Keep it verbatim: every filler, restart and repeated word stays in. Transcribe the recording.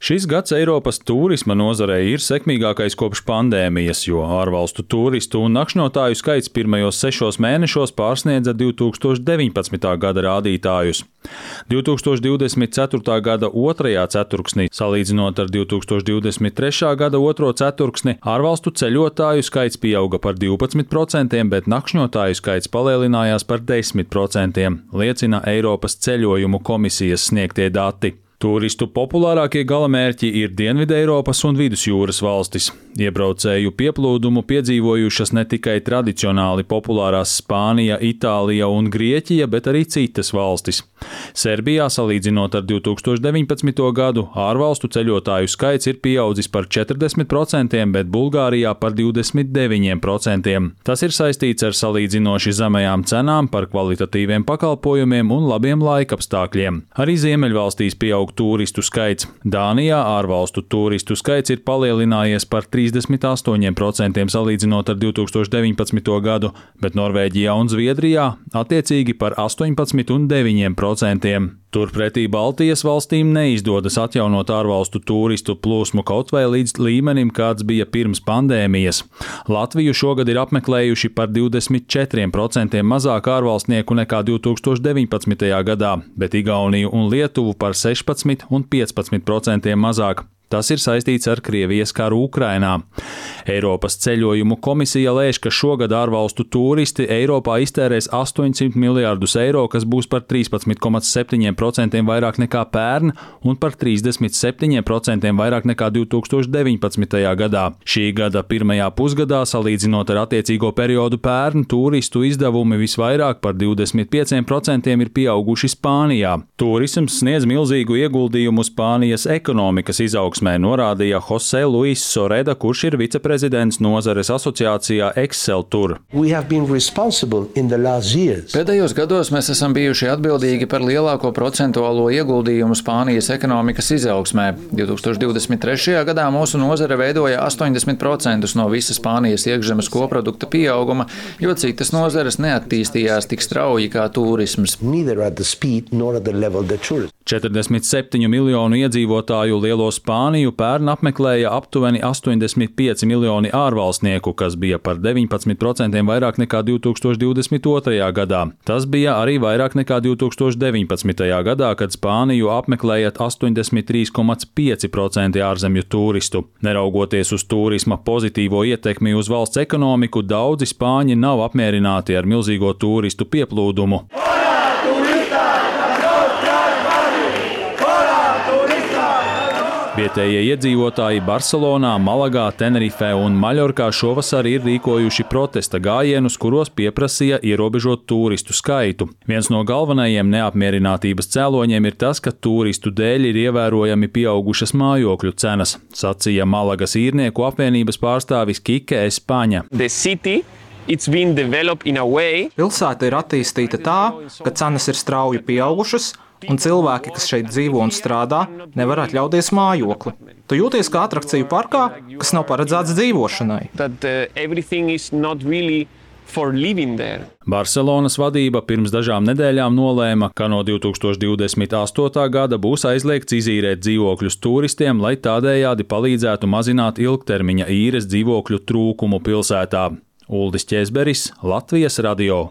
Šis gads Eiropas tūrisma nozarei ir sekmīgākais kopš pandēmijas, jo ārvalstu tūristu un nakšņotāju skaits pirmajos sešos mēnešos pārsniedza divi tūkstoši deviņpadsmitā gada rādītājus. divi tūkstoši divdesmit ceturtā gada otrajā ceturksnī, salīdzinot ar divi tūkstoši divdesmit trešā gada otro ceturksni, ārvalstu ceļotāju skaits pieauga par divpadsmit procentiem, bet nakšņotāju skaits palielinājās par desmit procentiem, liecina Eiropas ceļojumu komisijas sniegtie dati. Tūristu populārākie galamērķi ir Dienvideiropas un Vidusjūras valstis. Iebraucēju pieplūdumu piedzīvojušas ne tikai tradicionāli populārās Spānija, Itālija un Grieķija, bet arī citas valstis. Serbijā, salīdzinot ar divi tūkstoši deviņpadsmito gadu, ārvalstu ceļotāju skaits ir pieaudzis par četrdesmit procentiem, bet Bulgārijā par divdesmit deviņiem procentiem. Tas ir saistīts ar salīdzinoši zemajām cenām par kvalitatīviem pakalpojumiem un labiem laikapstākļiem. Arī Ziemeļvalstīs pieaug tūristu skaits. Dānijā ārvalstu tūristu skaits ir palielinājies par trīsdesmit astoņiem procentiem salīdzinot ar divi tūkstoši deviņpadsmito gadu, bet Norvēģijā un Zviedrijā attiecīgi par astoņpadsmit un deviņiem procentiem. Turpretī Baltijas valstīm neizdodas atjaunot ārvalstu tūristu plūsmu kaut vai līdz līmenim, kāds bija pirms pandēmijas. Latviju šogad ir apmeklējuši par divdesmit četriem procentiem mazāk ārvalstnieku nekā divi tūkstoši deviņpadsmitajā gadā, bet Igauniju un Lietuvu par sešpadsmit un piecpadsmit procentiem mazāk. Tas ir saistīts ar Krievijas karu Ukrainā. Eiropas ceļojumu komisija lēš, ka šogad ārvalstu tūristi Eiropā iztērēs astoņsimt miljārdus eiro, kas būs par trīspadsmit komats septiņiem procentiem vairāk nekā pērn un par trīsdesmit septiņiem procentiem vairāk nekā divi tūkstoši deviņpadsmitajā gadā. Šī gada pirmajā pusgadā, salīdzinot ar attiecīgo periodu pērn, tūristu izdevumi visvairāk par divdesmit pieciem procentiem ir pieauguši Spānijā. Turisms sniedz milzīgu ieguldījumu Spānijas ekonomikas izaugsmē, norādīja Jose Luis Soreda, kurš ir viceprezidents nozares asociācijā Exceltur. Pēdējos gados mēs esam bijuši atbildīgi par lielāko procentuālo ieguldījumu Spānijas ekonomikas izaugsmē. divi tūkstoši divdesmit trešajā gadā mūsu nozare veidoja astoņdesmit procentus no visa Spānijas iekšzemes koprodukta pieauguma, jo citas nozares neattīstījās tik strauji kā turisms. četrdesmit septiņu miljonu iedzīvotāju lielo Spāniju pērn apmeklēja aptuveni astoņdesmit pieci miljoni ārvalstnieku, kas bija par deviņpadsmit procentiem vairāk nekā divi tūkstoši divdesmit otrajā gadā. Tas bija arī vairāk nekā divi tūkstoši deviņpadsmitajā gadā, kad Spāniju apmeklēja astoņdesmit trīs komats pieci procenti ārzemju turistu. Neraugoties uz turisma pozitīvo ietekmi uz valsts ekonomiku, daudzi spāņi nav apmierināti ar milzīgo turistu pieplūdumu. Vietējie iedzīvotāji Barcelonā, Malagā, Tenerifē un Maļorkā šovasar ir rīkojuši protesta gājienus, kuros pieprasīja ierobežot turistu skaitu. Viens no galvenajiem neapmierinātības cēloņiem ir tas, ka turistu dēļ ir ievērojami pieaugušas mājokļu cenas, sacīja Malagas īrnieku apvienības pārstāvis Kike Espaņa. Pilsēta ir attīstīta tā, ka cenas ir strauji pieaugušas, un cilvēki, kas šeit dzīvo un strādā, nevar atļauties mājokli. Tu jūties kā atrakciju parkā, kas nav paredzēts dzīvošanai. Barcelonas vadība pirms dažām nedēļām nolēma, ka no divi tūkstoši divdesmit astotā gada būs aizliegts izīrēt dzīvokļus turistiem, lai tādējādi palīdzētu mazināt ilgtermiņa īres dzīvokļu trūkumu pilsētā. Uldis Ķēzberis, Latvijas radio.